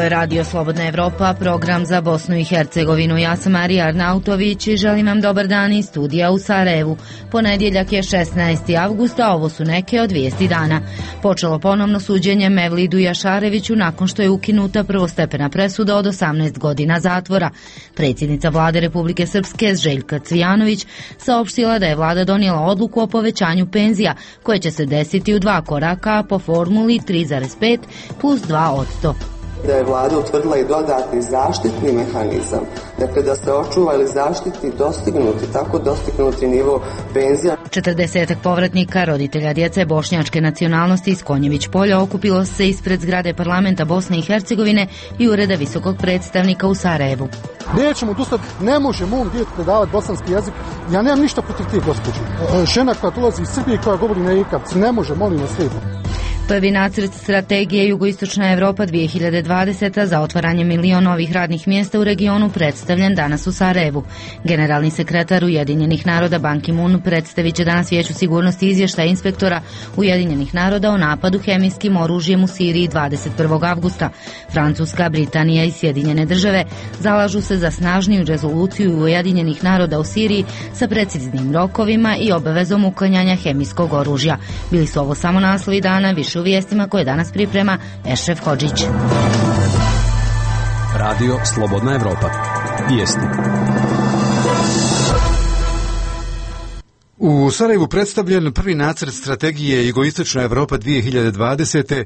je Radio Slobodna Evropa, program za Bosnu i Hercegovinu. Ja sam Marija Arnautović i želim vam dobar dan iz studija u Sarajevu. Ponedjeljak je 16. avgusta, ovo su neke od vijesti dana. Počelo ponovno suđenje Mevlidu Jašareviću nakon što je ukinuta prvostepena presuda od 18 godina zatvora. Predsjednica vlade Republike Srpske Željka Cvijanović saopštila da je vlada donijela odluku o povećanju penzija koje će se desiti u 2 koraka po formuli 3,5 plus 2%. Da je vlada utvrdila i dodatni zaštitni mehanizam, dakle da se očuva ili zaštiti tako dostignuti nivo penzija. 40 povratnika, roditelja djece bošnjačke nacionalnosti iz Konjević polja okupilo se ispred zgrade parlamenta Bosne i Hercegovine i ureda visokog predstavnika u Sarajevu. Nećemo odustati, ne može mom djetu predavati bosanski jezik. Ja nemam ništa protiv tih gospođi. Žena koja dolazi iz Srbije koja govori na ikavci, ne može, molim vas lijepo. Prvi nacrt strategije Jugoistočna Evropa 2020 za otvaranje 1 milion novih radnih mjesta u regionu predstavljen danas u Sarajevu. Generalni sekretar Ujedinjenih naroda Ban Ki-moon predstavit će danas Vijeću sigurnosti izvještaj inspektora Ujedinjenih naroda o napadu hemijskim oružjem u Siriji 21. avgusta. Francuska, Britanija i Sjedinjene države zalažu se za snažniju rezoluciju Ujedinjenih naroda u Siriji sa preciznim rokovima i obavezom uklanjanja hemijskog oružja. Bili su ovo samo naslovi dana, više u vijestima koje danas priprema Ešref Hodžić. Radio Slobodna Evropa. Vijesti. U Sarajevu predstavljen prvi nacrt strategije Jugoistočna Evropa 2020.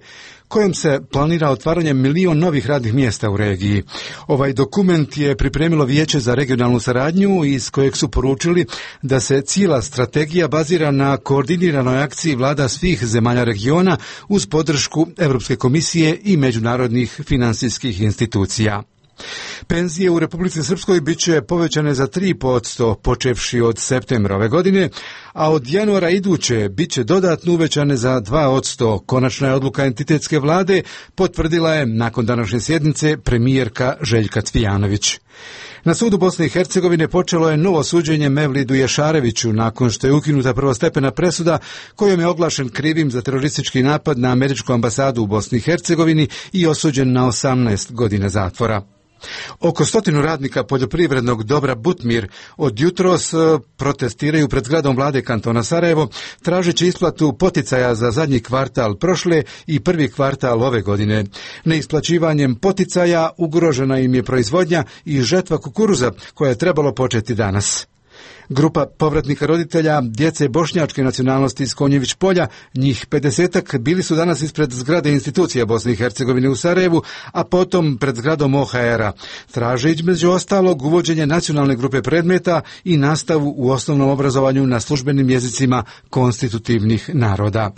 kojom se planira otvaranje 1 milion novih radnih mjesta u regiji. Ovaj dokument je pripremilo Vijeće za regionalnu saradnju iz kojeg su poručili da se cijela strategija bazira na koordiniranoj akciji vlada svih zemalja regiona uz podršku Europske komisije i međunarodnih financijskih institucija. Penzije u Republici Srpskoj bit će povećane za 3% počevši od septembra ove godine, a od januara iduće bit će dodatno uvećane za 2%. Konačna je odluka entitetske vlade, potvrdila je nakon današnje sjednice premijerka Željka Cvijanović. Na sudu Bosne i Hercegovine počelo je novo suđenje Mevlidu Jašareviću nakon što je ukinuta prvostepena presuda kojom je oglašen krivim za teroristički napad na američku ambasadu u Bosni i Hercegovini i osuđen na 18 godina zatvora. Oko 100 radnika poljoprivrednog dobra Butmir od jutros protestiraju pred zgradom vlade kantona Sarajevo, tražeći isplatu poticaja za zadnji kvartal prošle i prvi kvartal ove godine. Neisplaćivanjem poticaja ugrožena im je proizvodnja i žetva kukuruza koja je trebalo početi danas. Grupa povratnika roditelja djece bošnjačke nacionalnosti iz Konjević polja, njih 50-ak, bili su danas ispred zgrade institucija Bosne i Hercegovine u Sarajevu, a potom pred zgradom OHR-a. Traže između ostalog uvođenje nacionalne grupe predmeta i nastavu u osnovnom obrazovanju na službenim jezicima konstitutivnih naroda.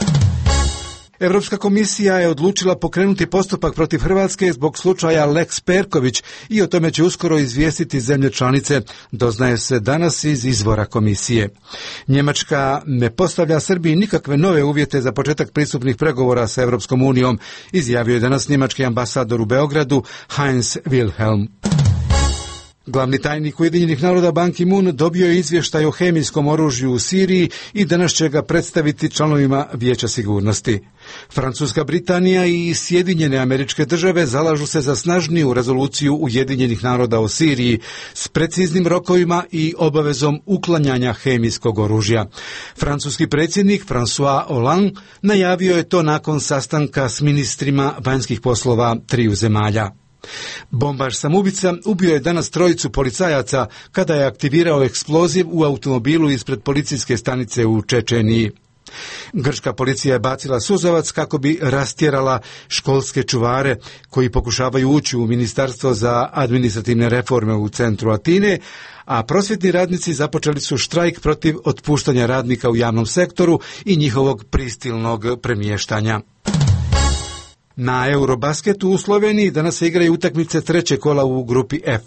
Europska komisija je odlučila pokrenuti postupak protiv Hrvatske zbog slučaja Lex Perković i o tome će uskoro izvijestiti zemlje članice, doznaje se danas iz izvora komisije. Njemačka ne postavlja Srbiji nikakve nove uvjete za početak pristupnih pregovora sa Europskom unijom, izjavio je danas njemački ambasador u Beogradu Heinz Wilhelm. Glavni tajnik Ujedinjenih naroda Ban Ki-moon dobio je izvještaj o hemijskom oružju u Siriji i danas će ga predstaviti članovima Vijeća sigurnosti. Francuska, Britanija i Sjedinjene Američke Države zalažu se za snažniju rezoluciju Ujedinjenih naroda o Siriji s preciznim rokovima i obavezom uklanjanja hemijskog oružja. Francuski predsjednik François Hollande najavio je to nakon sastanka s ministrima vanjskih poslova 3 zemalja. Bombaš samoubica ubio je danas 3 policajaca kada je aktivirao eksploziv u automobilu ispred policijske stanice u Čečeniji. Grčka policija je bacila suzavac kako bi rastjerala školske čuvare koji pokušavaju ući u Ministarstvo za administrativne reforme u centru Atine, a prosvjetni radnici započeli su štrajk protiv otpuštanja radnika u javnom sektoru i njihovog prisilnog premještanja. Na Eurobasketu u Sloveniji danas se igraju utakmice 3. kola u grupi F.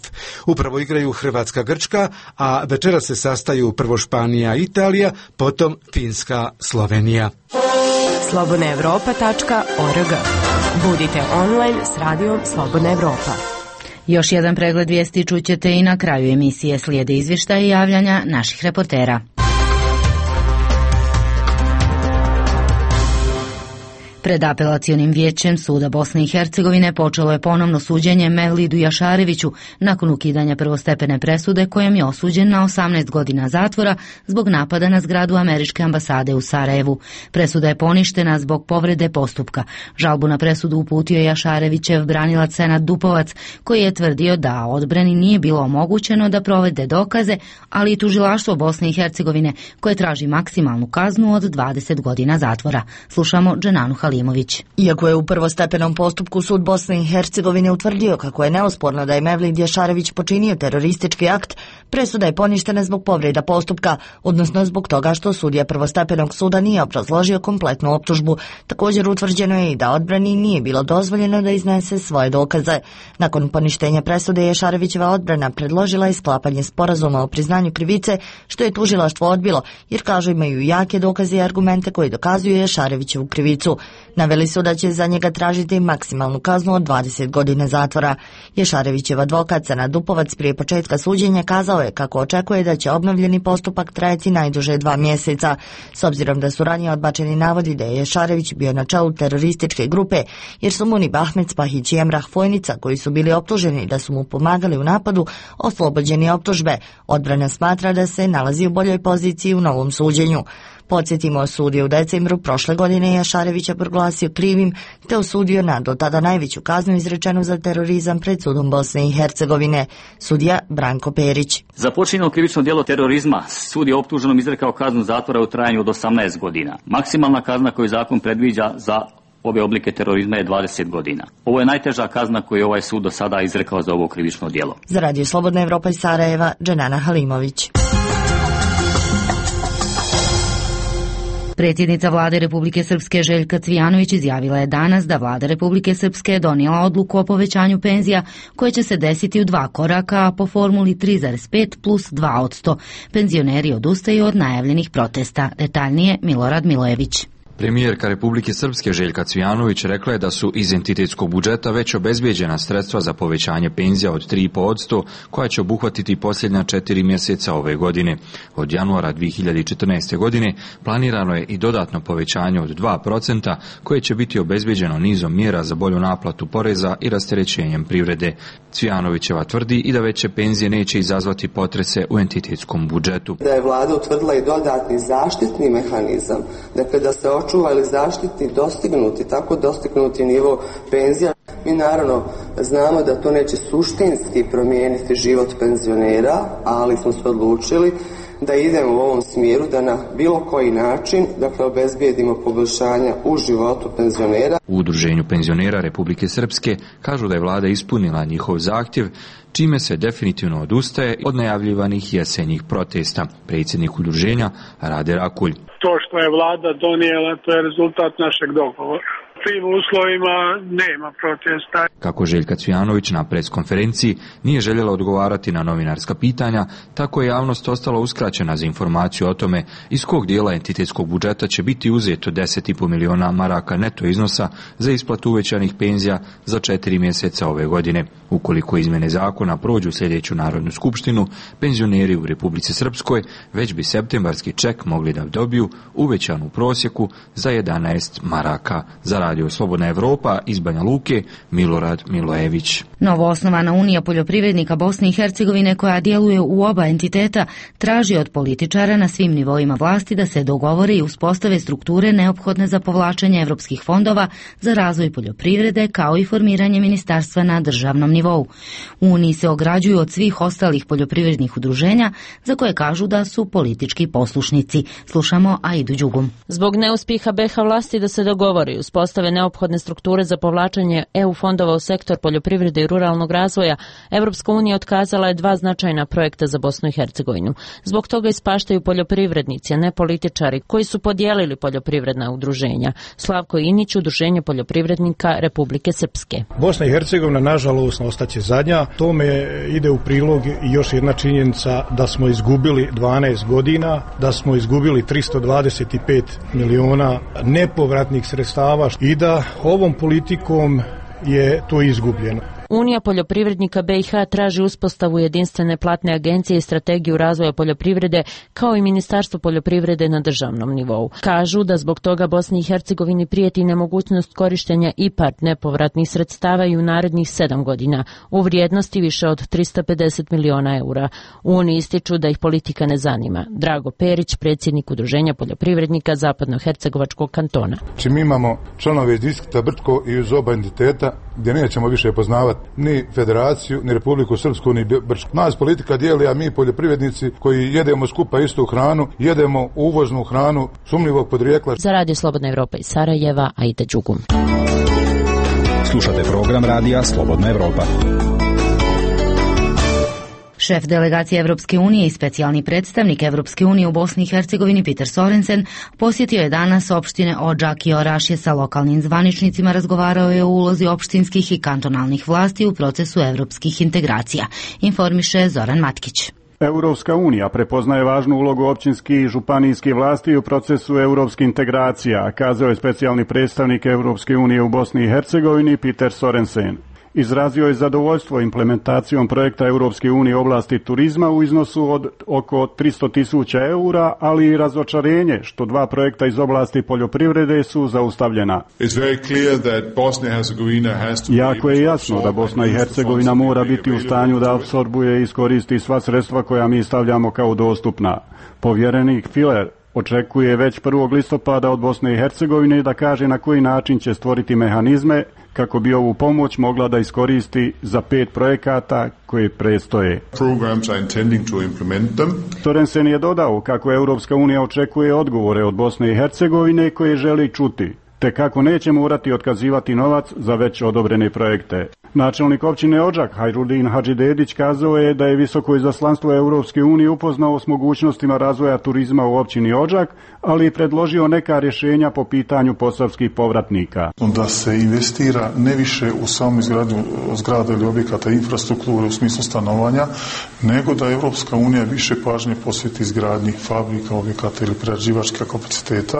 Upravo igraju Hrvatska-Grčka, a večera se sastaju prvo Španija-Italija, potom Finska-Slovenija. slobodnaevropa.org. Budite online s radijom Slobodna Evropa. Još jedan pregled vijesti čućete i na kraju emisije. Slijede izvještaje i javljanja naših reportera. Pred apelacionim vijećem Suda Bosne i Hercegovine počelo je ponovno suđenje Mevlidu Jašareviću nakon ukidanja prvostepene presude kojom je osuđen na 18 godina zatvora zbog napada na zgradu američke ambasade u Sarajevu. Presuda je poništena zbog povrede postupka. Žalbu na presudu uputio je Jašarevićev branilac Senad Dupovac, koji je tvrdio da odbrani nije bilo omogućeno da provede dokaze, ali i tužilaštvo Bosne i Hercegovine koje traži maksimalnu kaznu od 20 godina zatvora. Slušamo Dženanu Halimović. Iako je u prvostepenom postupku Sud Bosne i Hercegovine utvrdio kako je neosporno da je Mevlid Jašarević počinio teroristički akt, presuda je poništena zbog povreda postupka, odnosno zbog toga što sudija prvostepenog suda nije obrazložio kompletnu optužbu. Također utvrđeno je i da odbrani nije bilo dozvoljeno da iznese svoje dokaze. Nakon poništenja presude Jašarevićeva odbrana predložila je sklapanje sporazuma o priznanju krivice, što je tužilaštvo odbilo, jer kažu imaju jake dokaze i argumente koji dokazuju Jašarevićevu krivicu. Naveli su da će za njega tražiti maksimalnu kaznu od 20 godina zatvora. Jašarevićev advokat Senad Dupovac prije početka suđenja kazao je kako očekuje da će obnovljeni postupak trajati najduže 2 mjeseca. S obzirom da su ranije odbačeni navodi da je Jašarević bio na čelu terorističke grupe, jer su Munib Ahmed Spahić i Emrah Fojnica, koji su bili optuženi da su mu pomagali u napadu, oslobođeni optužbe. Odbrana smatra da se nalazi u boljoj poziciji u novom suđenju. Podsjetimo, sud je u decembru prošle godine Jašarevića proglasio krivim te osudio na do tada najveću kaznu izrečenu za terorizam pred Sudom Bosne i Hercegovine. Sudija Branko Perić. Za počinjeno krivično djelo terorizma sud je optuženom izrekao kaznu zatvora u trajanju od 18 godina. Maksimalna kazna koju zakon predviđa za ove oblike terorizma je 20 godina. Ovo je najteža kazna koju je ovaj sud do sada izrekao za ovo krivično djelo. Za Radio Slobodna Evropa iz Sarajeva, Dženana Halimović. Predsjednica vlade Republike Srpske Željka Cvijanović izjavila je danas da vlada Republike Srpske donijela odluku o povećanju penzija koje će se desiti u 2 koraka po formuli 3,5 plus 2%. Penzioneri odustaju od najavljenih protesta. Detaljnije Milorad Milojević. Premijerka Republike Srpske Željka Cvijanović rekla je da su iz entitetskog budžeta već obezbijeđena sredstva za povećanje penzija od 3,5% koja će obuhvatiti posljednja 4 mjeseca ove godine. Od januara 2014. godine planirano je i dodatno povećanje od 2% koje će biti obezbijeđeno nizom mjera za bolju naplatu poreza i rasterećenjem privrede. Cvijanovićeva tvrdi i da veće penzije neće izazvati potrese u entitetskom budžetu. Da je vlada utvrdila i dodatni zaštitni mehanizam, dakle da se očuva ili zaštiti tako dostignuti nivo penzija. Mi naravno znamo da to neće suštinski promijeniti život penzionera, ali smo se odlučili da idemo u ovom smjeru, da na bilo koji način, dakle, obezbijedimo poboljšanja u životu penzionera. U Udruženju penzionera Republike Srpske kažu da je vlada ispunila njihov zahtjev, čime se definitivno odustaje od najavljivanih jesenjih protesta. Predsjednik udruženja Rade Rakulj. To što je vlada donijela, to je rezultat našeg dogovora. U tim uslovima nema protesta. Kako Željka Cvijanović na preskonferenciji nije željela odgovarati na novinarska pitanja, tako je javnost ostala uskraćena za informaciju o tome iz kog dijela entitetskog budžeta će biti uzeto 10,5 miliona maraka neto iznosa za isplatu uvećanih penzija za 4 mjeseca ove godine. Ukoliko izmjene zakona prođu sljedeću Narodnu skupštinu, penzioneri u Republici Srpskoj već bi septembarski ček mogli da dobiju uvećanu prosjeku za 11 maraka. Za Radio Slobodna Evropa iz Banja Luke, Milorad Milojević. Novoosnovana Unija poljoprivrednika Bosne i Hercegovine, koja djeluje u oba entiteta, traži od političara na svim nivoima vlasti da se dogovore i uspostave strukture neophodne za povlačenje evropskih fondova za razvoj poljoprivrede, kao i formiranje ministarstva na državnom nivou. U Uniji se ograđuju od svih ostalih poljoprivrednih udruženja, za koje kažu da su politički poslušnici. Slušamo Aidu Đugum. Zbog neuspjeha BiH vlasti da se dogovori i uspostave neophodne strukture za povlačenje EU fondova u sektor poljoprivrede i ruralnog razvoja, Evropska unija otkazala je 2 značajna projekta za Bosnu i Hercegovinu. Zbog toga ispaštaju poljoprivrednici, a ne političari, koji su podijelili poljoprivredna udruženja. Slavko Inić, Udruženje poljoprivrednika Republike Srpske. Bosna i Hercegovina, nažalost, ostaće zadnja. Tome ide u prilog i još jedna činjenica da smo izgubili 12 godina, da smo izgubili 325 miliona nepovratnih sredstava i da ovom politikom je to izgubljeno. Unija poljoprivrednika BiH traži uspostavu jedinstvene platne agencije i strategiju razvoja poljoprivrede kao i Ministarstvo poljoprivrede na državnom nivou. Kažu da zbog toga Bosni i Hercegovini prijeti nemogućnost korištenja IPARD nepovratnih sredstava i u narednih 7 godina u vrijednosti više od 350 miliona eura. U Uniji ističu da ih politika ne zanima. Drago Perić, predsjednik Udruženja poljoprivrednika Zapadnohercegovačkog kantona. Mi imamo članove iz distrikta Brčko i iz oba entiteta gdje nećemo više poznavati ni federaciju, ni Republiku Srpsku, ni Brčko. Nas politika dijeli, a mi poljoprivrednici koji jedemo skupa istu hranu, jedemo uvoznu hranu sumnjivog podrijetla. Za Radio Slobodna Evropa iz Sarajeva, Aida Đugum. Slušate program Radija Slobodna Evropa. Šef delegacije Evropske unije i specijalni predstavnik Evropske unije u Bosni i Hercegovini Peter Sorensen posjetio je danas opštine Odžak i Orašje sa lokalnim zvaničnicima, razgovarao je o ulozi opštinskih i kantonalnih vlasti u procesu evropskih integracija, informiše Zoran Matkić. Europska unija prepoznaje važnu ulogu općinskih i županijskih vlasti u procesu europskih integracija, kazao je specijalni predstavnik Europske unije u Bosni i Hercegovini Peter Sorensen. Izrazio je zadovoljstvo implementacijom projekta Europske unije u oblasti turizma u iznosu od oko 300.000 eura, ali i razočarenje što 2 projekta iz oblasti poljoprivrede su zaustavljena. Jako je jasno da Bosna i Hercegovina mora biti u stanju da apsorbuje i iskoristi sva sredstva koja mi stavljamo kao dostupna. Povjerenik Filer očekuje već 1. listopada od Bosne i Hercegovine da kaže na koji način će stvoriti mehanizme kako bi ovu pomoć mogla da iskoristi za 5 projekata koje predstoje. Sorensen je dodao kako Europska unija očekuje odgovore od Bosne i Hercegovine koje želi čuti, te kako neće morati otkazivati novac za već odobrene projekte. Načelnik općine Odžak Hajrudin Hadžidedić kazao je da je visoko izaslanstvo Europske unije upoznao s mogućnostima razvoja turizma u općini Odžak, ali i predložio neka rješenja po pitanju posavskih povratnika. Da se investira ne više u samu izgradnju zgrada ili objekata infrastrukture u smislu stanovanja, nego da Europska unija više pažnje posveti izgradnji fabrika, objekata ili prerađivačkih kapaciteta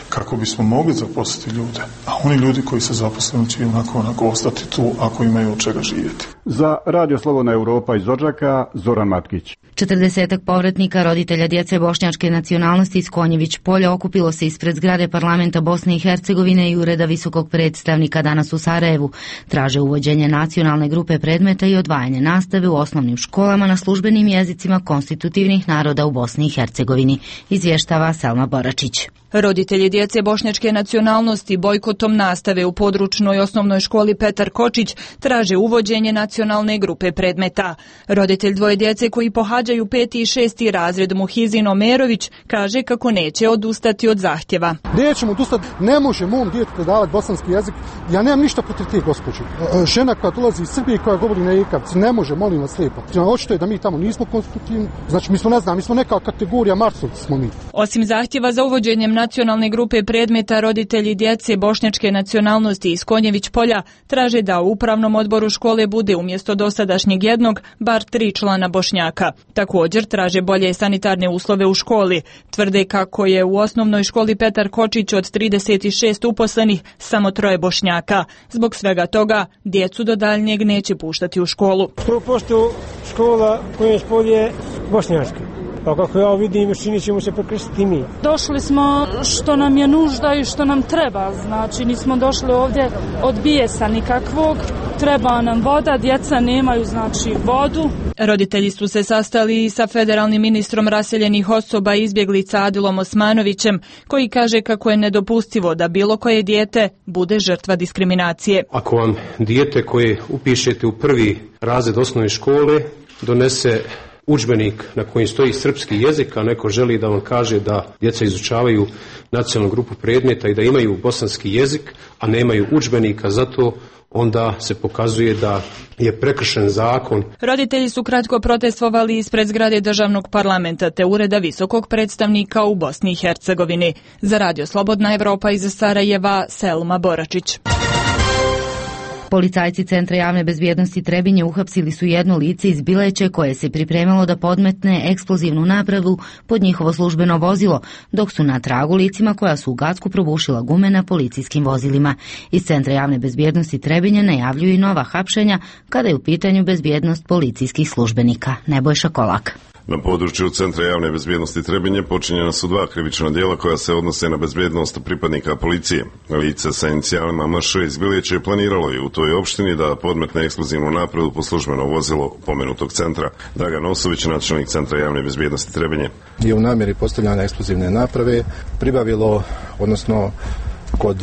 kako bismo mogli zaposliti ljude. A oni ljudi koji se zaposleni će onako ostati tu ako imaju od čega živjeti. Za Radio Slobodna Evropa iz Odžaka, Zoran Matkić. 40 povratnika roditelja djece bošnjačke nacionalnosti iz Konjević polja okupilo se ispred zgrade parlamenta Bosne i Hercegovine i ureda visokog predstavnika danas u Sarajevu. Traže uvođenje nacionalne grupe predmeta i odvajanje nastave u osnovnim školama na službenim jezicima konstitutivnih naroda u Bosni i Hercegovini, izvještava Selma Boračić. Roditelji djece bošnjačke nacionalnosti bojkotom nastave u područnoj osnovnoj školi Petar Kočić traže uvođenje nacionalne grupe predmeta. Roditelj 2 djece koji pohađaju 5. i 6. razred Muhizin Omerović kaže kako neće odustati od zahtjeva. Nećemo odustati, ne može mom djetetu predavati bosanski jezik. Ja nemam ništa protiv tih gospođe. Žena koja dolazi iz Srbije koja govori na ikavci, ne može, molim vas lijepo. Očito je da mi tamo nismo konstitutivni, znači mi smo neka kategorija Marsovci smo mi. Osim zahtjeva za uvođenjem nacionalne grupe predmeta, roditelji djece bošnjačke nacionalnosti iz Konjević polja traže da u upravnom odboru škole bude umjesto dosadašnjeg jednog bar 3 člana Bošnjaka. Također traže bolje sanitarne uslove u školi. Tvrde kako je u osnovnoj školi Petar Kočić od 36 uposlenih samo 3 Bošnjaka. Zbog svega toga djecu do daljnjeg neće puštati u školu. 100% škola Konjević polje bošnjačka. Pa kako ja vidim, čini ćemo se prekrstiti mi. Došli smo što nam je nužda i što nam treba. Znači, nismo došli ovdje od bijesa nikakvog. Treba nam voda, djeca nemaju znači vodu. Roditelji su se sastali i sa federalnim ministrom raseljenih osoba i izbjeglica Adilom Osmanovićem, koji kaže kako je nedopustivo da bilo koje dijete bude žrtva diskriminacije. Ako vam dijete koje upišete u 1. razred osnovne škole donese udžbenik na kojem stoji srpski jezik, a neko želi da vam kaže da djeca izučavaju nacionalnu grupu predmeta i da imaju bosanski jezik, a nemaju udžbenika za to, onda se pokazuje da je prekršen zakon. Roditelji su kratko protestovali ispred zgrade državnog parlamenta te ureda visokog predstavnika u Bosni i Hercegovini. Za Radio Slobodna Evropa iz Sarajeva, Selma Boračić. Policajci Centra javne bezbjednosti Trebinje uhapsili su jedno lice iz Bileće koje se pripremalo da podmetne eksplozivnu napravu pod njihovo službeno vozilo, dok su na tragu licima koja su u Gacku probušila gume na policijskim vozilima. Iz Centra javne bezbjednosti Trebinje najavljuju i nova hapšenja kada je u pitanju bezbjednost policijskih službenika. Nebojša Kolak. Na području Centra javne bezbjednosti Trebinje počinjena su 2 krivična djela koja se odnose na bezbjednost pripadnika policije. Lice sa inicijalima MŠ iz Bileće planiralo je u toj opštini da podmetne eksplozivnu napravu po službeno vozilo pomenutog centra. Dragan Osović, načelnik Centra javne bezbjednosti Trebinje. Je u namjeri postavljanja eksplozivne naprave pribavilo, odnosno kod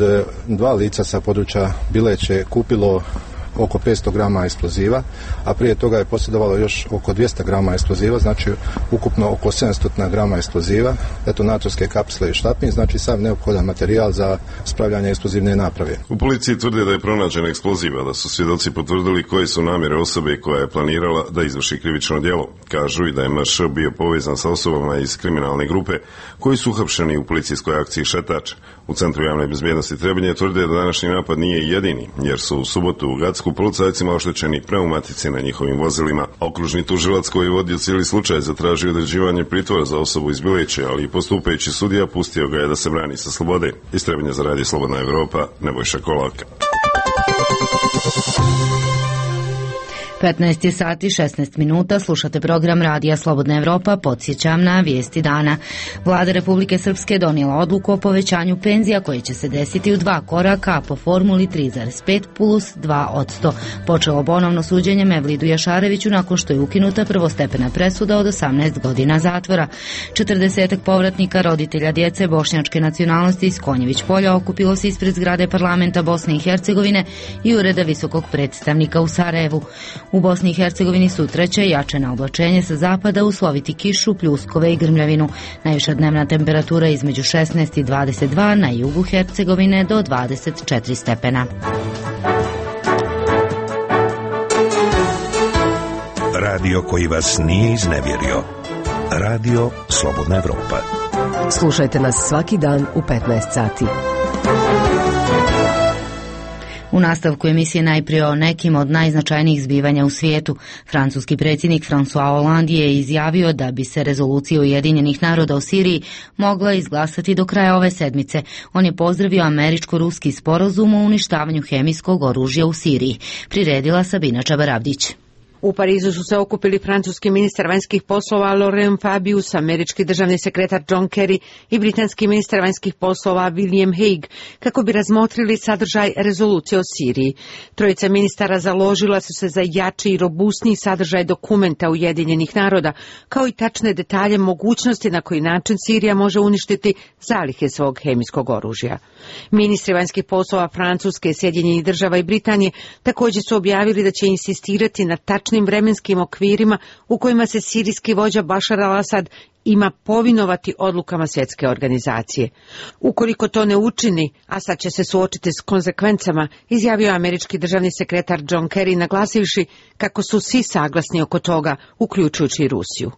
2 lica sa područja Bileće kupilo oko 500 grama eksploziva, a prije toga je posjedovalo još oko 200 grama eksploziva, znači ukupno oko 700 grama eksploziva, detonatorske kapsle i štapin, znači sav neophodan materijal za spravljanje eksplozivne naprave. U policiji tvrde da je pronađen eksploziv, a da su svjedoci potvrdili koje su namjere osobe koja je planirala da izvrši krivično djelo. Kažu i da je MŠ bio povezan sa osobama iz kriminalne grupe koji su uhapšeni u policijskoj akciji Šetač. U Centru javne bezbjednosti Trebinje tvrde da današnji napad nije jedini, jer su u subotu u Gacku policajcima oštećeni pneumatici na njihovim vozilima. Okružni tužilac koji je vodio cijeli slučaj zatražio određivanje pritvora za osobu iz Bileće, ali i postupajući sudija pustio ga je da se brani sa slobode. Iz Trebinja za Radio Slobodna Evropa, Nebojša Kolak. 15 je sati 16 minuta, slušate program Radija Slobodna Evropa, podsjećam na vijesti dana. Vlada Republike Srpske donijela odluku o povećanju penzija koje će se desiti u 2 koraka, a po formuli 3,5 plus 2%. Počelo ponovno suđenje Mevlidu Jašareviću nakon što je ukinuta prvostepena presuda od 18 godina zatvora. 40 povratnika roditelja djece bošnjačke nacionalnosti iz Konjević polja okupilo se ispred zgrade parlamenta Bosne i Hercegovine i ureda visokog predstavnika u Sarajevu. U Bosni i Hercegovini sutra će jačeno oblačenje sa zapada usloviti kišu, pljuskove i grmljavinu. Najviša dnevna temperatura između 16 i 22, na jugu Hercegovine do 24 stepena. Radio koji vas nije iznevjerio. Radio Slobodna Evropa. Slušajte nas svaki dan u 15 sati. U nastavku emisije najprije o nekim od najznačajnijih zbivanja u svijetu. Francuski predsjednik François Hollande je izjavio da bi se rezolucija Ujedinjenih naroda o Siriji mogla izglasati do kraja ove sedmice. On je pozdravio američko-ruski sporazum o uništavanju hemijskog oružja u Siriji. Priredila Sabina Čabarabdić. U Parizu su se okupili francuski ministar vanjskih poslova Laurent Fabius, američki državni sekretar John Kerry i britanski ministar vanjskih poslova William Hague kako bi razmotrili sadržaj rezolucije o Siriji. Trojica ministara založila su se za jači i robustniji sadržaj dokumenta Ujedinjenih naroda, kao i tačne detalje mogućnosti na koji način Sirija može uništiti zalihe svog hemijskog oružja. Ministri vanjskih poslova Francuske, Sjedinjenih država i Britanije također su objavili da će insistirati na tačnim vremenskim okvirima u kojima se sirijski vođa Bašar al-Asad ima povinovati odlukama svjetske organizacije. Ukoliko to ne učini, Asad će se suočiti s konsekvencama, izjavio američki državni sekretar John Kerry, naglasivši kako su svi saglasni oko toga, uključujući i Rusiju.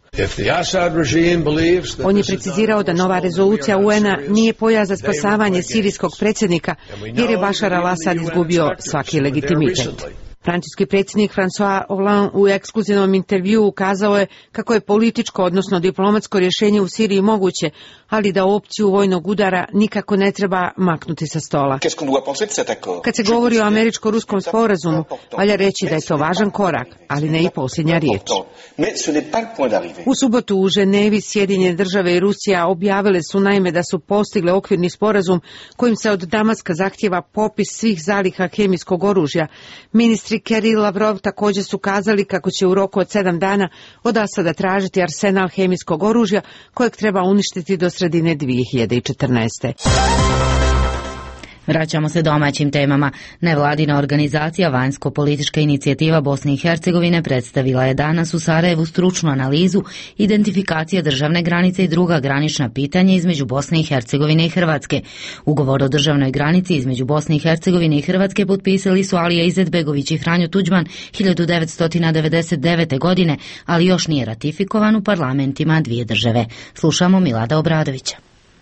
On je precizirao da nova rezolucija UN-a nije pojas za spasavanje sirijskog predsjednika, jer je Bašar al-Asad izgubio svaki legitimitet. Francuski predsjednik François Hollande u ekskluzivnom intervjuu ukazao je kako je političko, odnosno diplomatsko rješenje u Siriji moguće, ali da opciju vojnog udara nikako ne treba maknuti sa stola. Kad se govori o američko-ruskom sporazumu, valja reći da je to važan korak, ali ne i posljednja riječ. U subotu u Ženevi Sjedinjene države i Rusija objavile su naime da su postigle okvirni sporazum kojim se od Damaska zahtjeva popis svih zaliha hemijskog oružja. Ministri Kerry i Lavrov također su kazali kako će u roku od 7 dana od Asada tražiti arsenal hemijskog oružja kojeg treba uništiti do sredine 2014. Vraćamo se domaćim temama. Nevladina organizacija Vanjsko-politička inicijativa Bosne i Hercegovine predstavila je danas u Sarajevu stručnu analizu identifikacije državne granice i druga granična pitanja između Bosne i Hercegovine i Hrvatske. Ugovor o državnoj granici između Bosne i Hercegovine i Hrvatske potpisali su Alija Izetbegović i Franjo Tuđman 1999. godine, ali još nije ratifikovan u parlamentima dvije države. Slušamo Milada Obradovića.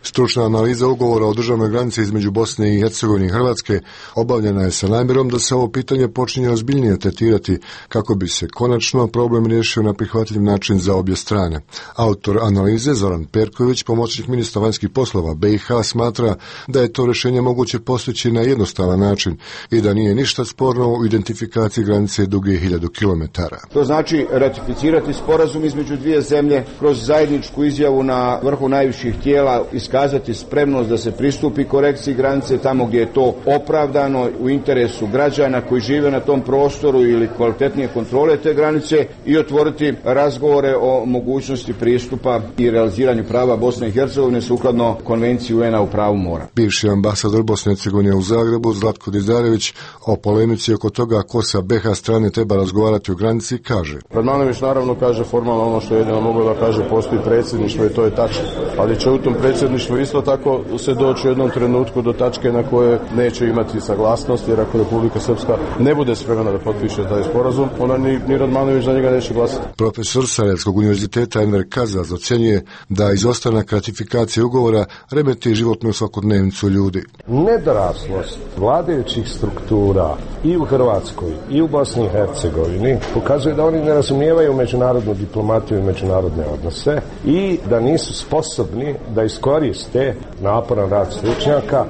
Stručna analiza ugovora o državnoj granici između Bosne i Hercegovine i Hrvatske obavljena je sa namjerom da se ovo pitanje počinje ozbiljnije tretirati kako bi se konačno problem riješio na prihvatljiv način za obje strane. Autor analize Zoran Perković, pomoćnik ministra vanjskih poslova BiH, smatra da je to rješenje moguće postići na jednostavan način i da nije ništa sporno u identifikaciji granice duge 1000 km. To znači ratificirati sporazum između dvije zemlje, kroz zajedničku izjavu na vrhu najviših tijela iskazati spremnost da se pristupi korekciji granice tamo gdje je to opravdano u interesu građana koji žive na tom prostoru ili kvalitetnije kontrole te granice i otvoriti razgovore o mogućnosti pristupa i realiziranju prava Bosne i Hercegovine sukladno Konvenciji UN-a u pravu mora. Bivši ambasador Bosne i Hercegovine u Zagrebu Zlatko Dizarević o polemici oko toga ko sa BiH strane treba razgovarati o granici kaže: Radmanović naravno kaže formalno ono što je jedino moglo da kaže, postoji predsjedništvo i to je tačno. Ali će u tom predsjedništvu isto tako se doći u jednom trenutku do tačke na koje neće imati saglasnost, jer ako Republika Srpska ne bude spremna da potpiše taj sporazum, onda ni Radmanović za njega neće glasati. Profesor Sarajevskog univerziteta Enver Kazaz ocjenjuje da izostanak ratifikacije ugovora remeti životnu svakodnevnicu ljudi. Nedoraslost vladajućih struktura i u Hrvatskoj i u Bosni i Hercegovini pokazuje da oni ne razumijevaju međunarodnu diplomatiju i međunarodne odnose i da nisu sposobni da iskoriste naporan rad stručnjaka,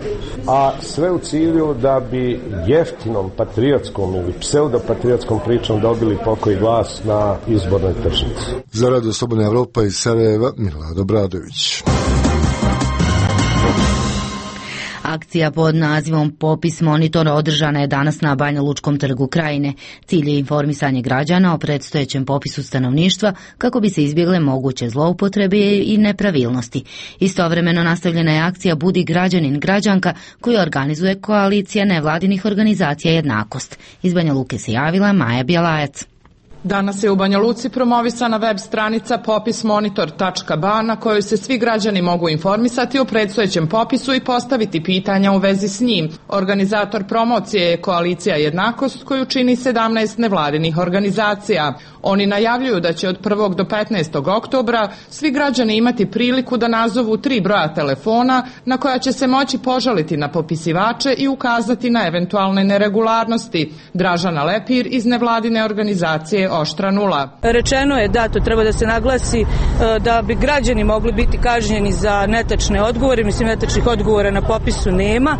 a sve u cilju da bi jeftinom patriotskom ili pseudopatriotskom pričom dobili pokoji glas na izbornoj tržnici. Za Radio Slobodna Evropa iz Sarajeva, Milad Obradović. Akcija pod nazivom Popis Monitor održana je danas na Banja Lučkom trgu Krajine. Cilj je informisanje građana o predstojećem popisu stanovništva kako bi se izbjegle moguće zloupotrebe i nepravilnosti. Istovremeno nastavljena je akcija Budi građanin građanka koju organizuje koalicija nevladinih organizacija Jednakost. Iz Banja Luke se javila Maja Bjelajac. Danas je u Banja Luci promovisana web stranica popismonitor.ba na kojoj se svi građani mogu informisati o predstojećem popisu i postaviti pitanja u vezi s njim. Organizator promocije je koalicija Jednakost koju čini 17 nevladinih organizacija. Oni najavljuju da će od 1. do 15. oktobra svi građani imati priliku da nazovu 3 broja telefona na koja će se moći požaliti na popisivače i ukazati na eventualne neregularnosti. Dražana Lepir iz nevladine organizacije Oštra nula. Rečeno je da to treba da se naglasi da bi građani mogli biti kažnjeni za netačne odgovore, mislim netačnih odgovora na popisu nema,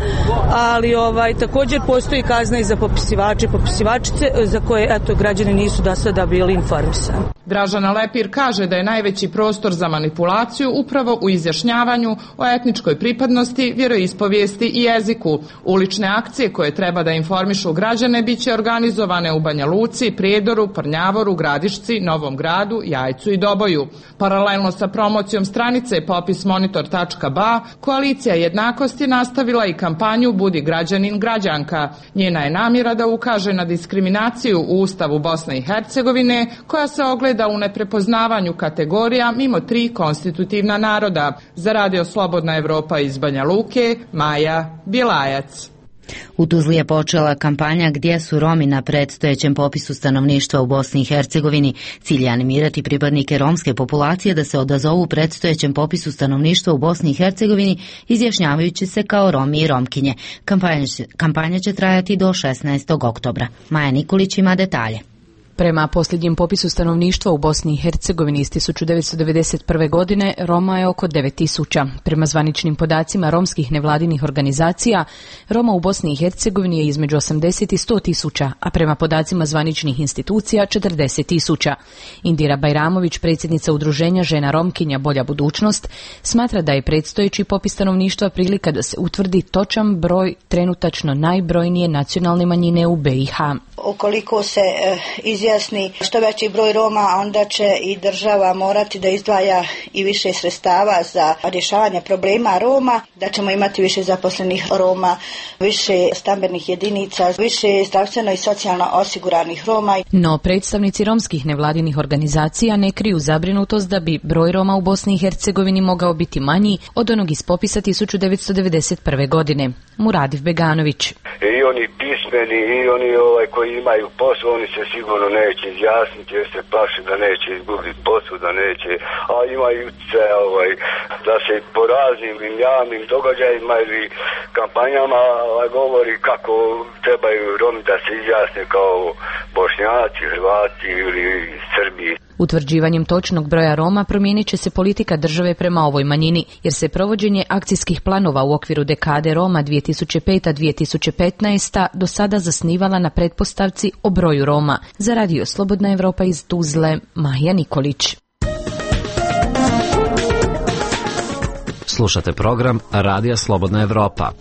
ali također postoji kazna i za popisivače i popisivačice za koje građani nisu do sada bili informisani. Dražana Lepir kaže da je najveći prostor za manipulaciju upravo u izjašnjavanju o etničkoj pripadnosti, vjeroispovijesti i jeziku. Ulične akcije koje treba da informišu građane biće organizovane u Banja Luci, Prijedoru, Prnjavoru, Gradišci, Novom Gradu, Jajcu i Doboju. Paralelno sa promocijom stranice popismonitor.ba, koalicija Jednakost je nastavila i kampanju Budi građanin građanka. Njena je namjera da ukaže na diskriminaciju u Ustavu Bosne i Hercegovine koja se ogleda u neprepoznavanju kategorija mimo 3 konstitutivna naroda. Za Radio Slobodna Evropa iz Banja Luke, Maja Bjelajac. U Tuzli je počela kampanja Gdje su Romi na predstojećem popisu stanovništva u Bosni i Hercegovini. Cilj je animirati pripadnike romske populacije da se odazovu predstojećem popisu stanovništva u Bosni i Hercegovini izjašnjavajući se kao Romi i Romkinje. Kampanja će trajati do 16. oktobra. Maja Nikolić ima detalje. Prema posljednjem popisu stanovništva u Bosni i Hercegovini iz 1991. godine Roma je oko 9000. Prema zvaničnim podacima romskih nevladinih organizacija, Roma u Bosni i Hercegovini je između 80 i 100 000, a prema podacima zvaničnih institucija 40 000. Indira Bajramović, predsjednica udruženja Žena Romkinja Bolja budućnost, smatra da je predstojeći popis stanovništva prilika da se utvrdi točan broj trenutačno najbrojnije nacionalne manjine u BiH. Ukoliko se izjasni što veći broj Roma, onda će i država morati da izdvaja i više sredstava za rješavanje problema Roma, da ćemo imati više zaposlenih Roma, više stambenih jedinica, više zdravstveno i socijalno osiguranih Roma. No, predstavnici romskih nevladinih organizacija ne kriju zabrinutost da bi broj Roma u Bosni i Hercegovini mogao biti manji od onog iz popisa 1991. godine. Muradiv Beganović. I oni pismeni i oni koji imaju posao, oni se sigurno neće izjasniti jer se plaši da neće izgubiti posao, da neće, a imaju se da se po raznim javnim događajima ili kampanjama govori kako trebaju Romi da se izjasne kao Bošnjaci, Hrvati ili Srbi. Utvrđivanjem točnog broja Roma promijenit će se politika države prema ovoj manjini, jer se provođenje akcijskih planova u okviru dekade Roma 2005-2015 do sada zasnivala na pretpostavci o broju Roma. Za Radio Slobodna Evropa iz Tuzle, Maja Nikolić. Slušate program Radija Slobodna Evropa.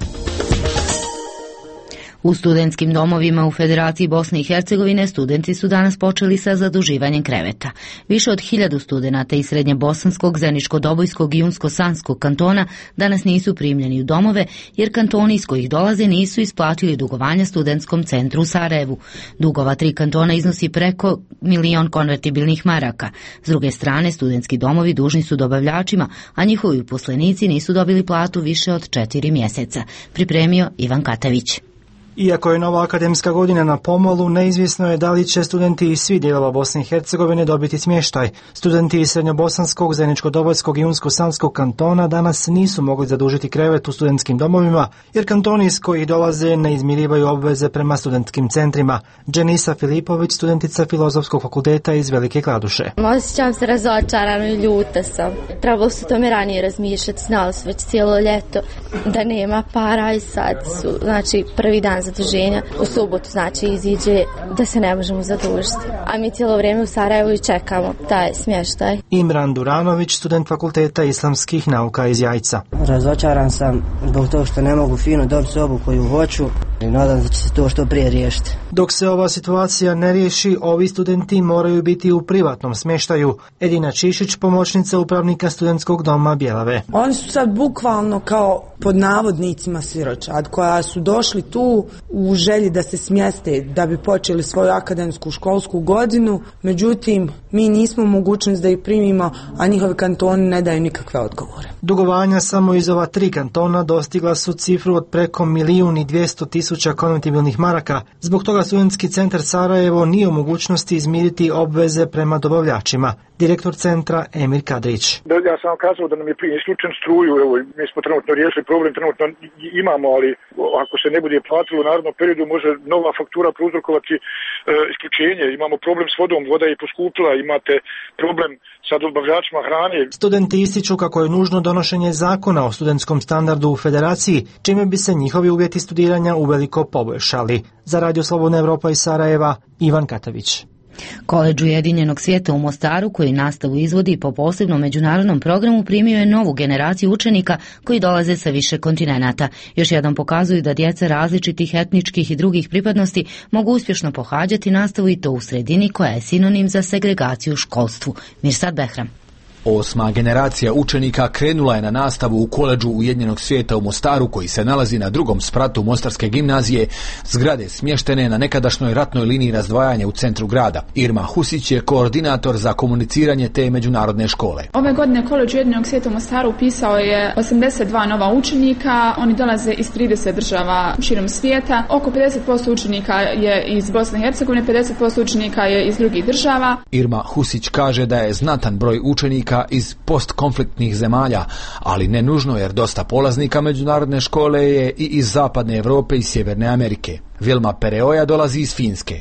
U studentskim domovima u Federaciji Bosne i Hercegovine studenti su danas počeli sa zaduživanjem kreveta. Više od 1000 studenata iz Srednjebosanskog, Zeničko-Dobojskog i Unsko-Sanskog kantona danas nisu primljeni u domove, jer kantoni iz kojih dolaze nisu isplatili dugovanja studentskom centru u Sarajevu. Dugova 3 kantona iznosi preko 1 milion konvertibilnih maraka. S druge strane, studentski domovi dužni su dobavljačima, a njihovi uposlenici nisu dobili platu više od 4 mjeseca. Pripremio Ivan Katavić. Iako je nova akademska godina na pomolu, neizvjesno je da li će studenti iz svih dijelova Bosne i Hercegovine dobiti smještaj. Studenti iz Srednjobosanskog, Zeničko-Dobojskog i Unsko-Sanskog kantona danas nisu mogli zadužiti krevet u studentskim domovima, jer kantoni iz kojih dolaze ne izmirivaju obveze prema studentskim centrima. Dženisa Filipović, studentica Filozofskog fakulteta iz Velike Kladuše. Osjećam se razočarano i ljuta sam. Trebalo su tome ranije razmišljati, znali su već cijelo ljeto da nema para i sad su, prvi dan zaduženja. U subotu iziđe da se ne možemo zadužiti. A mi cijelo vrijeme u Sarajevu i čekamo taj smještaj. Imran Duranović, student fakulteta islamskih nauka iz Jajca. Razočaran sam zbog toga što ne mogu fino dobiti sobu koju hoću i nadam se da će se to što prije riješiti. Dok se ova situacija ne riješi, ovi studenti moraju biti u privatnom smještaju. Edina Čišić, pomoćnica upravnika studentskog doma Bjelave. Oni su sad bukvalno kao pod navodnicima siročad koja su došli tu u želji da se smjeste da bi počeli svoju akademsku školsku godinu, međutim mi nismo u mogućnosti da ih primimo, a njihovi kantoni ne daju nikakve odgovore. Dugovanja samo iz ova 3 kantona dostigla su cifru od preko 1.200.000 konvertibilnih maraka. Zbog toga studentski centar Sarajevo nije u mogućnosti izmiriti obveze prema dobavljačima. Direktor centra Emir Kadrić. Ja sam vam kazao da nam je prije isključen struju, evo, mi smo trenutno riješili problem, trenutno imamo, ali ako se ne bude platilo u narednom periodu može nova faktura prouzrokovati isključenje. Imamo problem s vodom, voda je poskupila, imate problem sa dobavljačima hrane. Studenti ističu kako je nužno donošenje zakona o studentskom standardu u Federaciji, čime bi se njihovi uvjeti studiranja uveliko poboljšali. Za Radio Slobodna Evropa iz Sarajeva, Ivan Katavić. Koledž Ujedinjenog svijeta u Mostaru, koji nastavu izvodi po posebnom međunarodnom programu, primio je novu generaciju učenika koji dolaze sa više kontinenata. Još jedan pokazuju da djeca različitih etničkih i drugih pripadnosti mogu uspješno pohađati nastavu i to u sredini koja je sinonim za segregaciju u školstvu. Mirsad Behram. 8. generacija učenika krenula je na nastavu u koledžu Ujedinjenog svijeta u Mostaru, koji se nalazi na drugom spratu Mostarske gimnazije, zgrade smještene na nekadašnjoj ratnoj liniji razdvajanja u centru grada. Irma Husić je koordinator za komuniciranje te međunarodne škole. Ove godine koledž Ujedinjenog svijeta u Mostaru upisao je 82 nova učenika, oni dolaze iz 30 država širom svijeta. Oko 50% učenika je iz Bosne i Hercegovine, 50% učenika je iz drugih država. Irma Husić kaže da je znatan broj učenika iz postkonfliktnih zemalja, ali ne nužno, jer dosta polaznika međunarodne škole je i iz Zapadne Europe i Sjeverne Amerike. Vilma Pereoja dolazi iz Finske.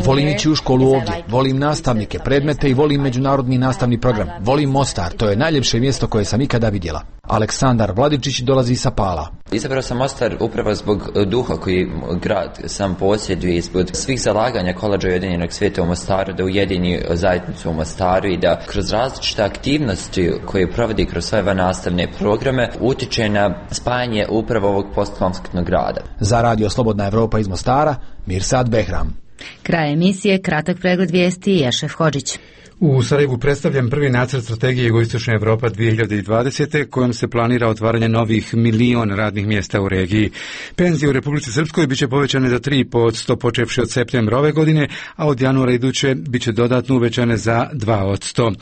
Volim ići u školu ovdje, volim nastavnike, predmete i volim međunarodni nastavni program. Volim Mostar, to je najljepše mjesto koje sam ikada vidjela. Aleksandar Vladičić dolazi sa Pala. Izabrao sam Mostar upravo zbog duha koji grad sam posjeduje i zbog svih zalaganja koledža Ujedinjenog svijeta u Mostaru da ujedini zajednicu u Mostaru i da kroz različite aktivnosti koje provodi kroz svoje nastavne programe utiče na spajanje upravo ovog postkonfliktnog grada. Za Radio Slobodna Evropa iz Mostara, Mirsad Behram. Kraj emisije, kratak pregled vijesti, Ješef Hodžić. U Sarajevu predstavljam prvi nacrt strategije Jugoistočna Evropa 2020. kojom se planira otvaranje novih 1 milion radnih mjesta u regiji. Penzije u Republici Srpskoj biće povećane za 3% počevši od septembra ove godine, a od januara iduće biće dodatno uvećane za 2%.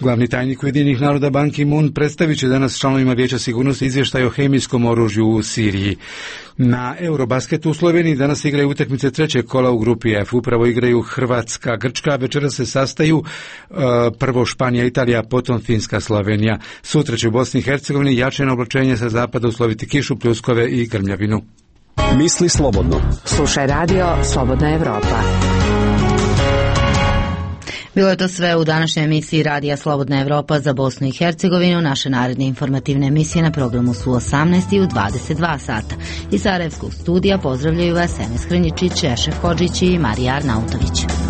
Glavni tajnik Ujedinjenih naroda Ban Ki-moon predstavit će danas članovima Vijeća sigurnosti izvještaj o hemijskom oružju u Siriji. Na Eurobasketu u Sloveniji danas igraju utakmice trećeg kola u grupi F. Upravo igraju Hrvatska, Grčka, večera se sastaju prvo Španija, Italija, potom Finska, Slovenija. Sutra će u Bosni i Hercegovini jačeno oblačenje sa zapada usloviti kišu, pljuskove i grmljavinu. Misli slobodno. Slušaj radio Slobodna Evropa. Bilo je to sve u današnjoj emisiji Radija Slobodna Evropa za Bosnu i Hercegovinu. Naše naredne informativne emisije na programu su 18 i u 22 sata. Iz Sarajevskog studija pozdravljaju vas Enes Hrnjičić, Ešef Hodžić i Marija Arnautović.